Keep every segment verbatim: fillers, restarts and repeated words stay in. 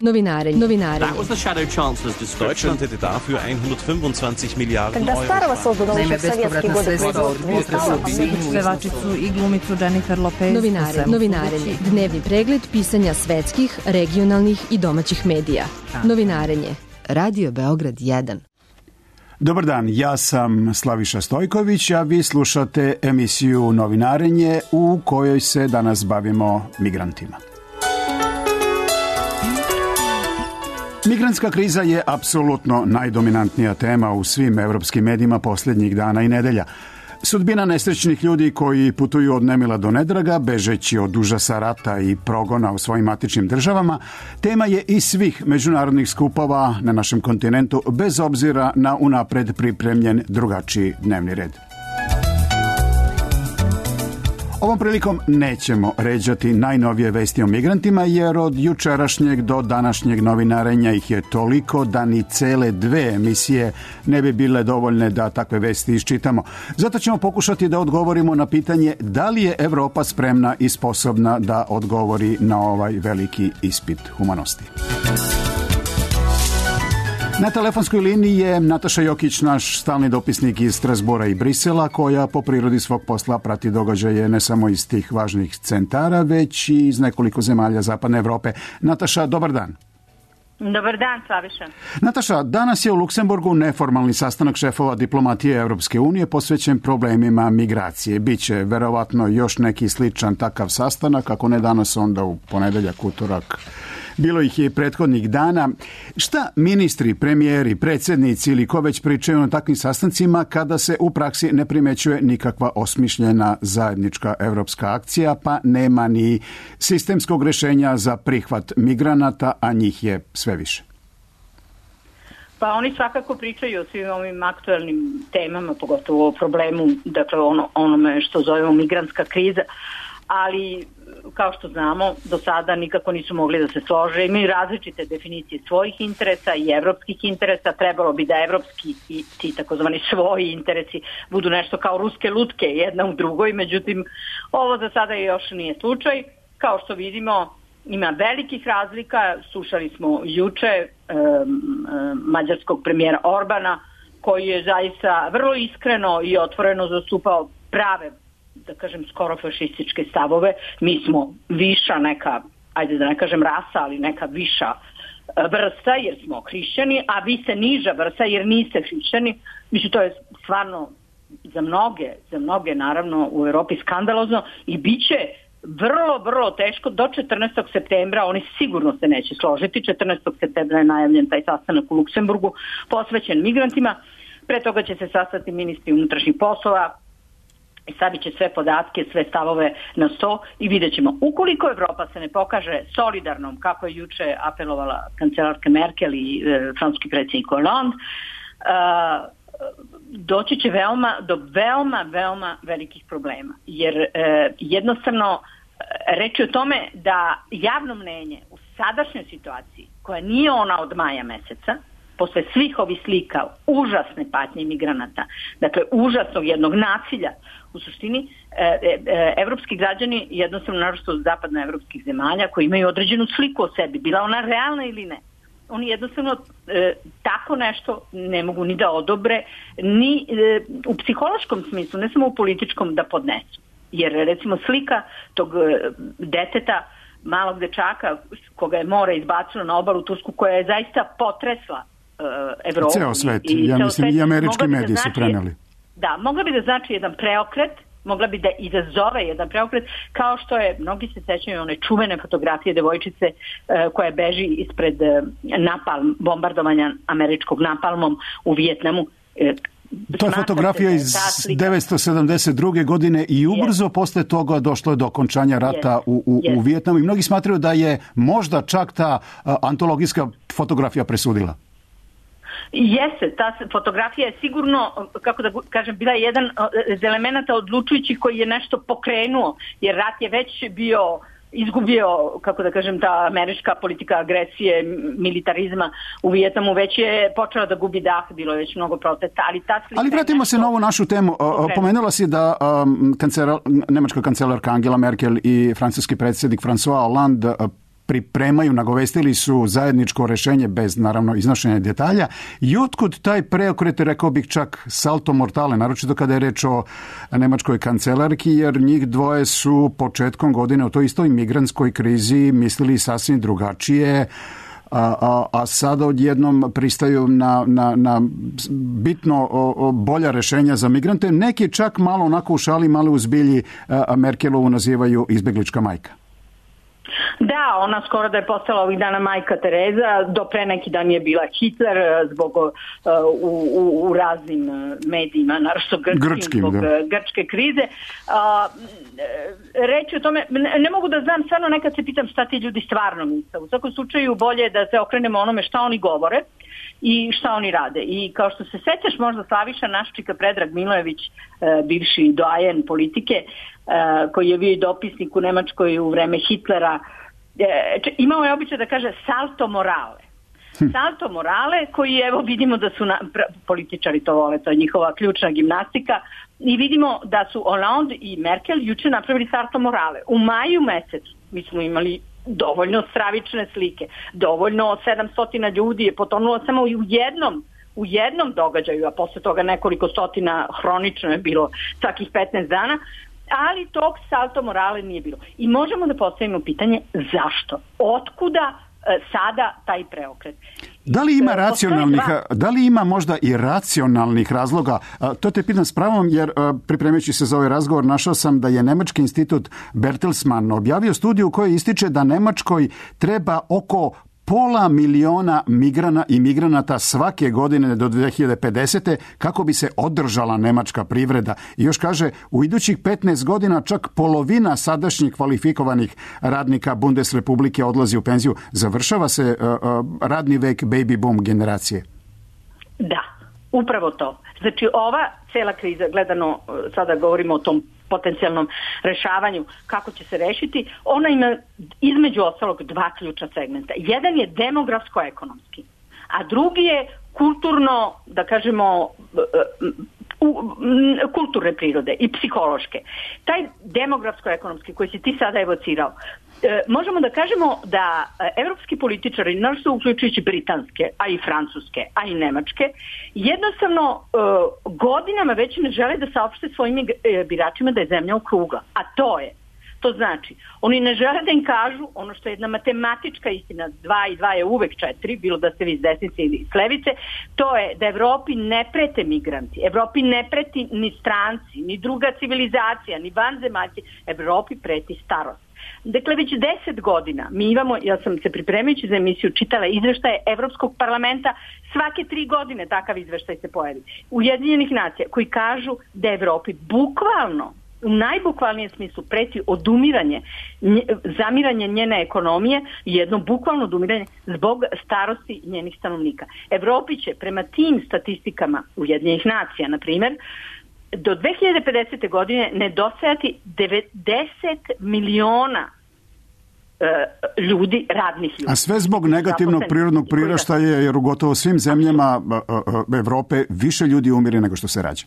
Novinare, novinare. That was the shadow chancellor's description. Deutschland hätte dafür hundertfünfundzwanzig Miliarden Когда старого Euro. создано еще в советские годы производства. Pevačicu i glumicu Jennifer Lopez. Novinare, novinarenje. Dnevni pregled pisanja svetskih, regionalnih i domaćih medija. Novinarenje. Radio Beograd jedan. Dobar dan, ja sam Slaviša Stojković, a vi slušate emisiju Novinarenje u kojoj se danas bavimo migrantima. Migrantska kriza je apsolutno najdominantnija tema u svim evropskim medijima posljednjih dana i nedelja. Sudbina nesrećnih ljudi koji putuju od nemila do nedraga, bežeći od užasa rata i progona u svojim matičnim državama, tema je i svih međunarodnih skupova na našem kontinentu, bez obzira na unapred pripremljen drugačiji dnevni red. Ovom prilikom nećemo ređati najnovije vesti o migrantima, jer od jučerašnjeg do današnjeg novinarenja ih je toliko da ni cele dve emisije ne bi bile dovoljne da takve vesti iščitamo. Zato ćemo pokušati da odgovorimo na pitanje da li je Evropa spremna i sposobna da odgovori na ovaj veliki ispit humanosti. Na telefonskoj liniji je Nataša Jokić, naš stalni dopisnik iz Strasbura i Brisela, koja po prirodi svog posla prati događaje ne samo iz tih važnih centara, već i iz nekoliko zemalja Zapadne Evrope. Nataša, dobar dan. Dobar dan, Slaviša. Nataša, danas je u Luksemburgu neformalni sastanak šefova diplomatije Evropske unije posvećen problemima migracije. Biće verovatno još neki sličan takav sastanak, ako ne danas, onda u ponedeljak, utorak. Bilo ih je i prethodnih dana. Šta ministri, premijeri, predsjednici ili ko već pričaju na takvim sastancima kada se u praksi ne primećuje nikakva osmišljena zajednička evropska akcija, pa nema ni sistemskog rješenja za prihvat migranata, a njih je sve više? Pa oni svakako pričaju o svim ovim aktualnim temama, pogotovo o problemu, dakle ono, onome što zovemo migrantska kriza, ali kao što znamo, do sada nikako nisu mogli da se slože. Imaju različite definicije svojih interesa i evropskih interesa. Trebalo bi da evropski i ti takozvani svoji interesi budu nešto kao ruske lutke jedna u drugoj, međutim ovo za sada još nije slučaj. Kao što vidimo, ima velikih razlika. Slušali smo juče um, um, mađarskog premijera Orbana, koji je zaista vrlo iskreno i otvoreno zastupao prave, da kažem, skoro fašističke stavove. Mi smo viša neka, ajde da ne kažem rasa, ali neka viša vrsta jer smo hrišćani, a vi ste niža vrsta jer niste hrišćani. Mislim, to je stvarno za mnoge, za mnoge naravno u Europi skandalozno i bit će vrlo, vrlo teško do četrnaestog septembra. Oni sigurno se neće složiti. četrnaestog septembra je najavljen taj sastanak u Luksemburgu posvećen migrantima. Pre toga će se sastati ministri unutrašnjih poslova, stavit će sve podatke, sve stavove na sto i vidjet ćemo. Ukoliko Evropa se ne pokaže solidarnom, kako je juče apelovala kancelarka Merkel i e, francuski predsjednik Hollande, e, doći će veoma, do veoma, veoma velikih problema. Jer e, jednostavno reč je o tome da javno mnenje u sadašnjoj situaciji, koja nije ona od maja meseca, posle svih ovih slika užasne patnje migranata, dakle užasnog jednog nasilja, u suštini e, e, evropski građani, jednostavno naročito od zapadnoevropskih zemalja, koji imaju određenu sliku o sebi, bila ona realna ili ne, oni jednostavno e, tako nešto ne mogu ni da odobre, ni e, u psihološkom smislu, ne samo u političkom, da podnesu. Jer recimo slika tog e, deteta, malog dečaka koga je more izbacilo na obalu Tursku, koja je zaista potresla Evropu. Ceo svet, i, ja mislim i američki mediji su preneli. Da, mogla bi da znači jedan preokret, mogla bi da izazove jedan preokret, kao što je, mnogi se sećaju one čuvene fotografije devojčice uh, koja beži ispred uh, napalm, bombardovanja američkog napalmom u Vijetnamu. Uh, To je fotografija iz devetsto sedamdeset druge godine i ubrzo yes. posle toga došlo je do okončanja rata yes. u, u, yes. u Vijetnamu i mnogi smatraju da je možda čak ta uh, antologijska fotografija presudila. Jeste, ta fotografija je sigurno, kako da kažem, bila jedan od elemenata odlučujućih koji je nešto pokrenuo, jer rat je već bio izgubio, kako da kažem, ta američka politika agresije, militarizma u Vijetnamu već je počela da gubi dah, bilo je već mnogo protesta, ali ta slika... Ali vratimo se na ovu našu temu. Pokrenula. Pomenula si da um, kancelar, nemačka kancelarka Angela Merkel i francuski predsjednik François Hollande pripremaju, nagovestili su zajedničko rešenje bez, naravno, iznošenja detalja. I otkud taj preokret, rekao bih čak salto mortale, naročito kada je reč o nemačkoj kancelarki, jer njih dvoje su početkom godine o toj istoj migrantskoj krizi mislili sasvim drugačije, a, a, a sada odjednom pristaju na, na, na bitno o, o bolja rešenja za migrante. Neki čak malo onako u šali, malo u zbilji a Merkelovu nazivaju izbeglička majka. Da, ona skoro da je postala ovih dana majka Tereza, do pre neki dan je bila Hitler zbog uh, u, u, u raznim medijima, naravno grčkim, grčkim zbog da. grčke krize. Uh, reći o tome, ne, ne mogu da znam, stvarno nekad se pitam šta ti ljudi stvarno misle. U svakom slučaju bolje je da se okrenemo onome šta oni govore i šta oni rade. I kao što se sećaš, možda Slaviša Naščika, Predrag Milojević, bivši doajen politike, koji je bio dopisnik u Nemačkoj u vreme Hitlera, imao je običaj da kaže salto morale. Salto morale koji, evo, vidimo da su na, političari to vole, to je njihova ključna gimnastika, i vidimo da su Hollande i Merkel juče napravili salto morale. U maju mesecu mi smo imali dovoljno stravične slike, dovoljno sedamsto ljudi je potonulo samo u jednom u jednom događaju, a posle toga nekoliko stotina hronično je bilo svakih petnaest dana, ali tog salto morale nije bilo. I možemo da postavimo pitanje zašto? Otkuda e, sada taj preokret? Da li ima racionalnih, da li ima možda i racionalnih razloga? To te pitam s pravom, jer pripremajući se za ovaj razgovor našao sam da je Nemački institut Bertelsmann objavio studiju u kojoj ističe da Nemačkoj treba oko pola miliona migrana i migranata svake godine do dve hiljade pedesete kako bi se održala nemačka privreda. I još kaže, u idućih petnaest godina čak polovina sadašnjih kvalifikovanih radnika Bundesrepublike odlazi u penziju. Završava se uh, uh, radni vek baby boom generacije. Da, upravo to. Znači ova cela kriza, gledano, sada govorimo o tom potencijalnom rešavanju, kako će se rešiti, ona ima između ostalog dva ključna segmenta. Jedan je demografsko-ekonomski, a drugi je kulturno, da kažemo, kulturne prirode i psihološke. Taj demografsko-ekonomski koji si ti sada evocirao, možemo da kažemo da evropski političari, naravno uključujući britanske, a i francuske, a i nemačke, jednostavno godinama već ne žele da saopšte svojim biračima da je zemlja okrugla. A to je, to znači, oni ne žele da im kažu ono što je jedna matematička istina, dva i dva je uvek četiri, bilo da ste vi s desnice ili s levice, to je da Evropi ne prete migranti, Evropi ne preti ni stranci, ni druga civilizacija, ni vanzemaljci, Evropi preti starost. Dakle, već deset godina mi imamo, ja sam se pripremajući za emisiju čitala izveštaje Evropskog parlamenta, svake tri godine takav izveštaj se pojavi, Ujedinjenih nacija, koji kažu da Evropi bukvalno, u najbukvalnijem smislu, preti odumiranje, zamiranje njene ekonomije i jedno bukvalno odumiranje zbog starosti njenih stanovnika. Evropi će prema tim statistikama Ujedinjenih nacija, na primjer, do dve hiljade pedesete. godine nedostajati devedeset miliona e, ljudi, radnih ljudi. A sve zbog negativnog prirodnog priraštaja, jer u gotovo svim zemljama Evrope više ljudi umire nego što se rađa.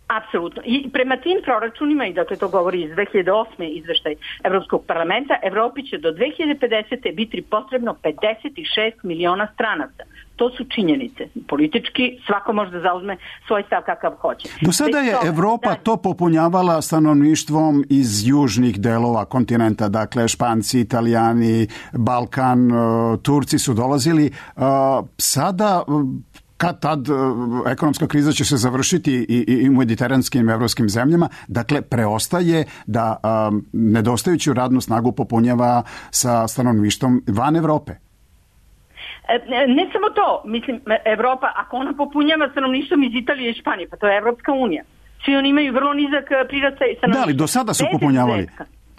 Apsolutno. I prema tim proračunima, i dakle to govori iz dve hiljade osme. izveštaj Evropskog parlamenta, Evropi će do dve hiljade pedesete. biti potrebno pedeset šest miliona stranaca. To su činjenice. Politički svako može da zauzme svoj stav kakav hoće. Do sada je Evropa to popunjavala stanovništvom iz južnih delova kontinenta, dakle Španci, Italijani, Balkan, Turci su dolazili. Sada kad tad ekonomska kriza će se završiti i, i u mediteranskim evropskim zemljama, dakle preostaje da um, nedostajuću radnu snagu popunjava sa stanovništvom van Evrope. Ne samo to, mislim, Evropa, ako ona popunjava stanovništvom iz Italije i Španije, pa to je Evropska unija. Svi oni imaju vrlo nizak prirastaj stanovništva. Da, ali do sada su popunjavali.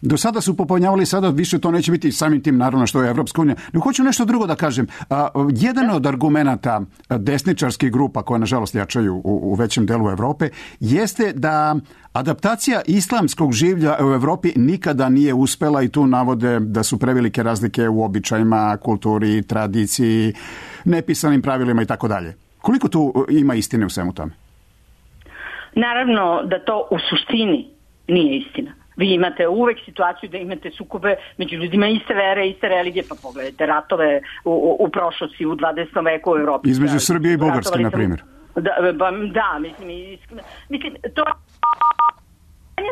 Do sada su popunjavali, sada više to neće biti samim tim, naravno, što je Evropska unija. No, hoću nešto drugo da kažem. A, jedan od argumenata desničarskih grupa, koje nažalost jačaju u, u većem delu Evrope, jeste da adaptacija islamskog življa u Evropi nikada nije uspela i tu navode da su prevelike razlike u običajima, kulturi, tradiciji, nepisanim pravilima i tako dalje. Koliko tu ima istine u svemu tome? Naravno da to u suštini nije istina. Vi imate uvek situaciju da imate sukobe među ljudima iste vere, iste religije, pa pogledajte ratove u, u, u prošlosti u dvadesetom veku u Evropi. Između da, Srbije i Bugarske, na primjer. Da, da, mislim, mislim, to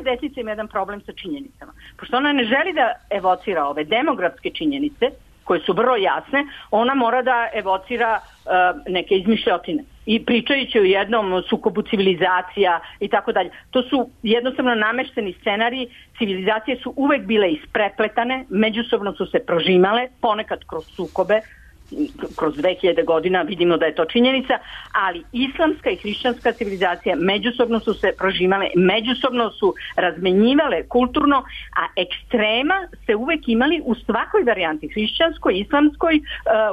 desica ima jedan problem sa činjenicama. Pošto ona ne želi da evocira ove demografske činjenice, koje su vrlo jasne, ona mora da evocira uh, neke izmišljotine. I pričajući o jednom sukobu civilizacija i tako dalje. To su jednostavno namešteni scenariji. Civilizacije su uvek bile isprepletane, međusobno su se prožimale, ponekad kroz sukobe, kroz dve hiljade godina vidimo da je to činjenica, ali islamska i hrišćanska civilizacija međusobno su se prožimale, međusobno su razmenjivale kulturno, a ekstrema se uvek imali u svakoj varijanti, hrišćanskoj, islamskoj,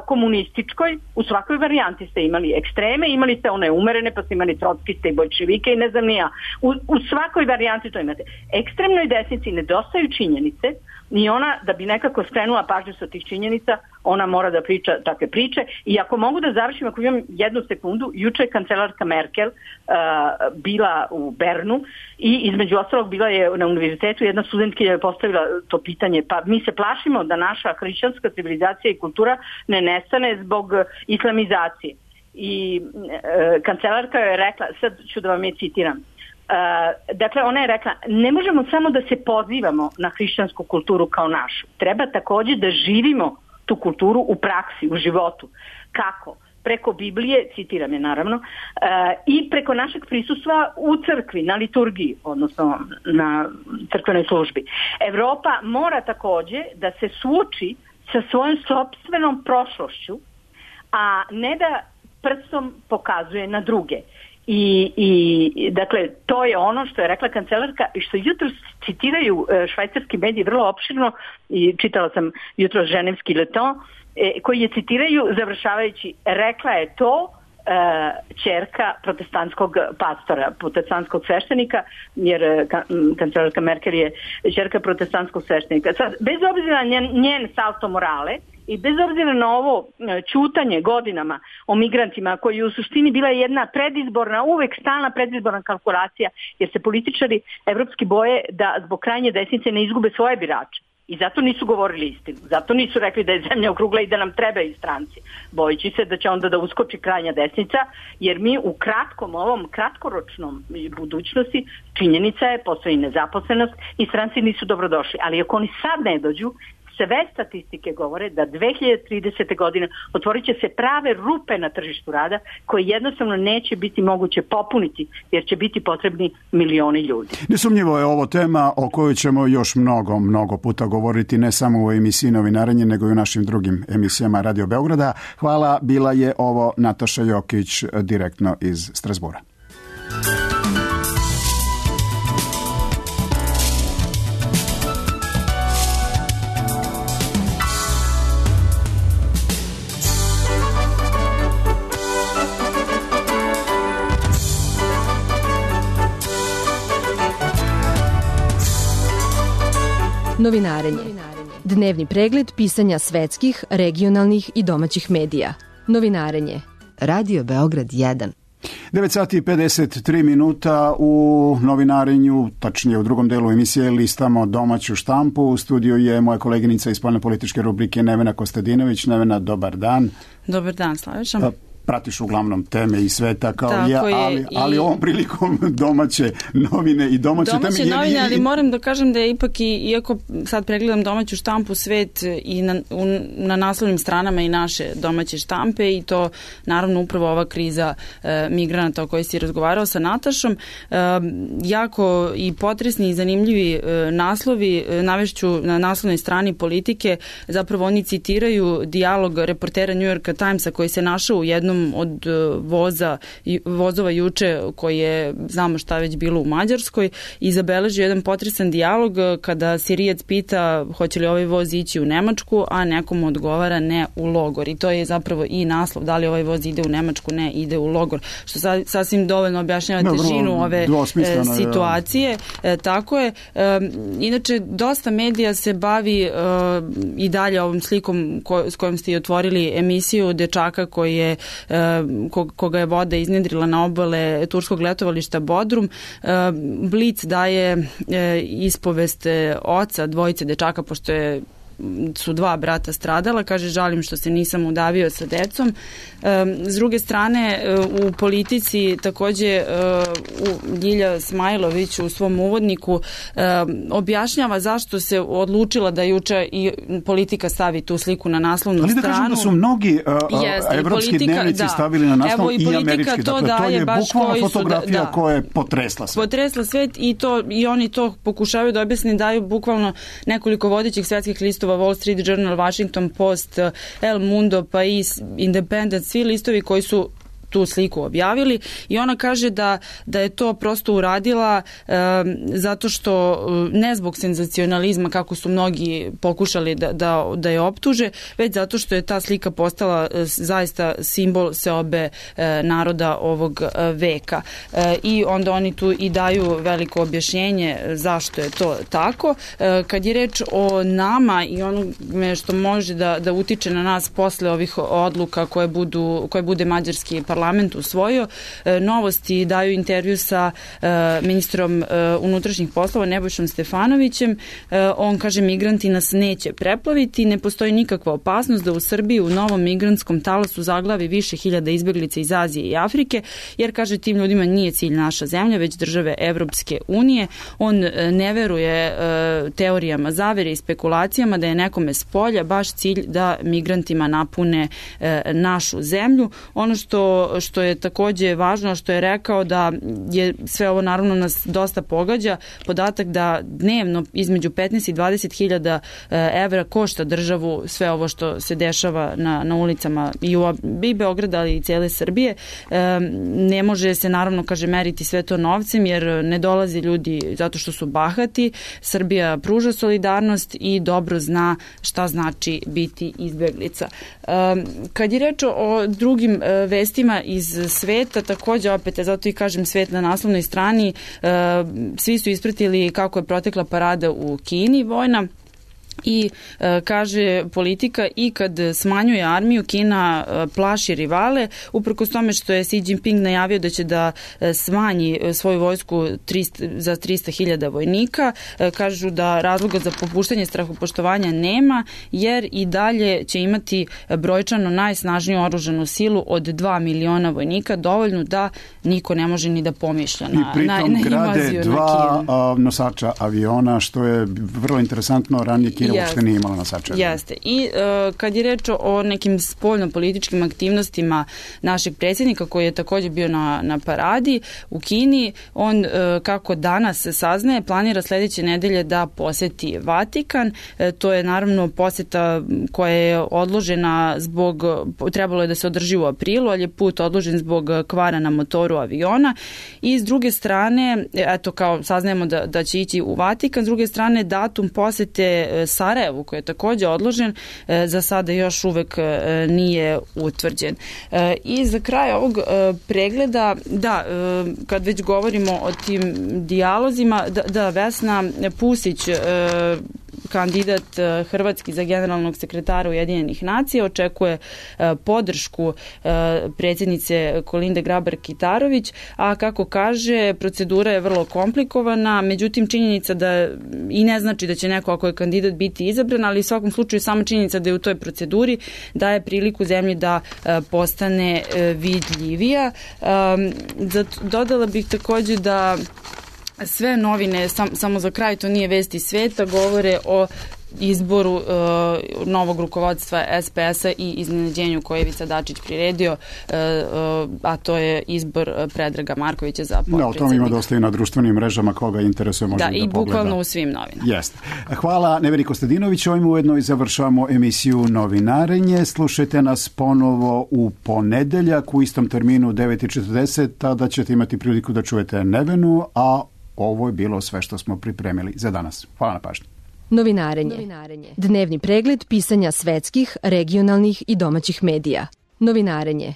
komunističkoj, u svakoj varijanti ste imali ekstreme, imali ste one umerene, pa ste imali trockiste i bolševike i ne znam ni ja. U, u svakoj varijanti to imate. Ekstremnoj desnici nedostaju činjenice, ni ona, da bi nekako skrenula pažnju sa tih činjenica, ona mora da priča takve priče. I ako mogu da završim, ako imam jednu sekundu, juče je kancelarka Merkel uh, bila u Bernu i između ostalog bila je na univerzitetu, jedna studentkinja je postavila to pitanje, pa mi se plašimo da naša hrišćanska civilizacija i kultura ne nestane zbog islamizacije. I uh, kancelarka je rekla, sad ću da vam je citiram, Uh, dakle, ona je rekla, ne možemo samo da se pozivamo na hrišćansku kulturu kao našu. Treba također da živimo tu kulturu u praksi, u životu. Kako? Preko Biblije, citiram je naravno, uh, i preko našeg prisustva u crkvi, na liturgiji, odnosno na crkvenoj službi. Evropa mora također da se suoči sa svojom sopstvenom prošlošću, a ne da prstom pokazuje na druge. I, i dakle to je ono što je rekla kancelarka i što jutro citiraju švajcarski mediji vrlo opširno i čitala sam jutro ženevski Le Temps koji je citiraju završavajući, rekla je to ćerka protestantskog pastora, protestantskog sveštenika, jer kancelarka Merkel je ćerka protestantskog sveštenika. Sad, bez obzira na njen, njen salto morale i bez obzira na ovo ćutanje godinama o migrantima, koji je u suštini bila jedna predizborna, uvek stalna predizborna kalkulacija, jer se političari evropski boje da zbog krajnje desnice ne izgube svoje birače. I zato nisu govorili istinu. Zato nisu rekli da je zemlja okrugla i da nam trebaju stranci. Bojeći se da će onda da uskoči krajnja desnica, jer mi u kratkom, ovom kratkoročnom budućnosti činjenica je, postoji nezaposlenost i stranci nisu dobrodošli. Ali ako oni sad ne dođu, sve statistike govore da dve hiljade tridesete godine otvorit će se prave rupe na tržištu rada koje jednostavno neće biti moguće popuniti jer će biti potrebni milioni ljudi. Nesumnjivo je ovo tema o kojoj ćemo još mnogo, mnogo puta govoriti, ne samo u emisiji Novinarenje, nego i u našim drugim emisijama Radio Beograda. Hvala, bila je ovo Nataša Jokić direktno iz Strasbura. Novinarenje. Dnevni pregled pisanja svetskih, regionalnih i domaćih medija. Novinarenje. Radio Beograd jedan. devet sati i pedeset tri minuta u Novinarenju, tačnije u drugom delu emisije, listamo domaću štampu. U studiju je moja koleginica iz spoljne političke rubrike Nevena Kostadinović. Nevena, dobar dan. Dobar dan, Slaviša. Pratiš uglavnom teme i sveta kao Tako ja, je, ali, ali i... ovom prilikom domaće novine i domaće, domaće teme. Domaće novine, i... ali moram da kažem da je ipak, i, iako sad pregledam domaću štampu, svet i na, u, na naslovnim stranama i naše domaće štampe, i to naravno upravo ova kriza e, migranata o kojoj si razgovarao sa Natašom. E, jako i potresni i zanimljivi e, naslovi, e, navešću na naslovnoj strani Politike, zapravo oni citiraju dijalog reportera New York Timesa koji se našao u jednom od voza, vozova juče koji je, znamo šta već bilo u Mađarskoj, i zabeležio jedan potresan dijalog kada Sirijac pita hoće li ovaj voz ići u Nemačku, a nekom odgovara ne, u logor. I to je zapravo i naslov, da li ovaj voz ide u Nemačku, ne, ide u logor. Što sa, sasvim dovoljno objašnjava težinu ove e, situacije. E, tako je. E, inače, dosta medija se bavi e, i dalje ovom slikom ko, s kojom ste i otvorili emisiju dečaka koji je koga je voda iznjedrila na obale turskog letovališta Bodrum. Blic daje ispovest oca dvojice dečaka, pošto je su dva brata stradala, kaže žalim što se nisam udavio sa decom. S druge strane, u politici takođe Ljilja Smajlović u svom uvodniku objašnjava zašto se odlučila da juče i politika stavi tu sliku na naslovnu stranu. Ali da kažem da su mnogi uh, evropski dnevnici da. stavili na naslov i, i američki. To dakle, to je bukvalna fotografija da, da. koja je potresla svet. Potresla svet i, to, i oni to pokušavaju da objasne, daju bukvalno nekoliko vodećih svetskih listova, Wall Street Journal, Washington Post, El Mundo, Pais, Independent, svi listovi koji su tu sliku objavili i ona kaže da, da je to prosto uradila e, zato što ne zbog senzacionalizma kako su mnogi pokušali da, da, da je optuže, već zato što je ta slika postala e, zaista simbol seobe e, naroda ovog e, veka. E, I onda oni tu i daju veliko objašnjenje zašto je to tako. E, kad je reč o nama i onome što može da, da utiče na nas posle ovih odluka koje, budu, koje bude mađarski parlament parlament usvojio. E, novosti daju intervju sa e, ministrom e, unutrašnjih poslova Nebojšom Stefanovićem. E, on kaže migranti nas neće preplaviti, ne postoji nikakva opasnost da u Srbiji u novom migrantskom talasu zaglavi više hiljada izbeglica iz Azije i Afrike, jer kaže tim ljudima nije cilj naša zemlja, već države Evropske unije. On e, ne veruje e, teorijama zavere i spekulacijama da je nekome s polja baš cilj da migrantima napune e, našu zemlju. Ono što, što je takođe važno, što je rekao da je sve ovo naravno nas dosta pogađa, podatak da dnevno između petnaest i dvadeset hiljada evra košta državu sve ovo što se dešava na, na ulicama i, u, i Beograda, ali i cijele Srbije. E, ne može se naravno, kaže, meriti sve to novcem, jer ne dolaze ljudi zato što su bahati. Srbija pruža solidarnost i dobro zna šta znači biti izbeglica. E, kad je reč o drugim e, vestima iz sveta, takođe opet, zato i kažem svet na naslovnoj strani, e, svi su ispratili kako je protekla parada u Kini vojna. I e, kaže politika i kad smanjuje armiju, Kina e, plaši rivale, uprkos tome što je Xi Jinping najavio da će da e, smanji svoju vojsku trista, za trista hiljada vojnika. E, kažu da razloga za popuštanje strahopoštovanja nema, jer i dalje će imati brojčano najsnažniju oružanu silu od dva miliona vojnika, dovoljno da niko ne može ni da pomišlja na, I pritom na, na grade dva a, nosača aviona, što je vrlo interesantno. Ranije Kina uopšte nije imala nosača. Jeste. I uh, kad je reč o nekim spoljno-političkim aktivnostima našeg predsjednika, koji je također bio na, na paradi u Kini, on, uh, kako danas se saznaje, planira sljedeće nedelje da poseti Vatikan. Uh, to je naravno poseta koja je odložena zbog, trebalo je da se održi u aprilu, ali je put odložen zbog kvara na motoru aviona. I s druge strane, eto, kao saznajemo da, da će ići u Vatikan, s druge strane datum posete Sarajevu, koji je također odložen, za sada još uvek nije utvrđen. I za kraj ovog pregleda, da, kad već govorimo o tim dijalozima, da, da Vesna Pusić, kandidat hrvatski za generalnog sekretara Ujedinjenih nacija, očekuje podršku predsjednice Kolinde Grabar-Kitarović, a kako kaže, procedura je vrlo komplikovana, međutim činjenica da i ne znači da će neko, ako je kandidat, biti izabran, ali u svakom slučaju sama činjenica da je u toj proceduri daje priliku zemlji da postane vidljivija. Dodala bih također da sve novine, sam, samo za kraj, to nije vesti sveta, govore o izboru uh, novog rukovodstva S P S-a i iznenađenju koje je Ivica Dačić priredio, uh, uh, a to je izbor Predraga Markovića za potpredsjednika. Da, o tom ima dosta i na društvenim mrežama, koga interesuje može da, da i pogleda. bukvalno u svim novinama. Jeste. Hvala Neveri Kostadinović, ovim ujedno i završavamo emisiju Novinarenje. Slušajte nas ponovo u ponedeljak u istom terminu u devet i četrdeset, tada ćete imati priliku da čujete Nevenu, a ovo je bilo sve što smo pripremili za danas. Hvala na pažnji. Novinarenje. Novinarenje. Dnevni pregled pisanja svetskih, regionalnih i domaćih medija. Novinarenje.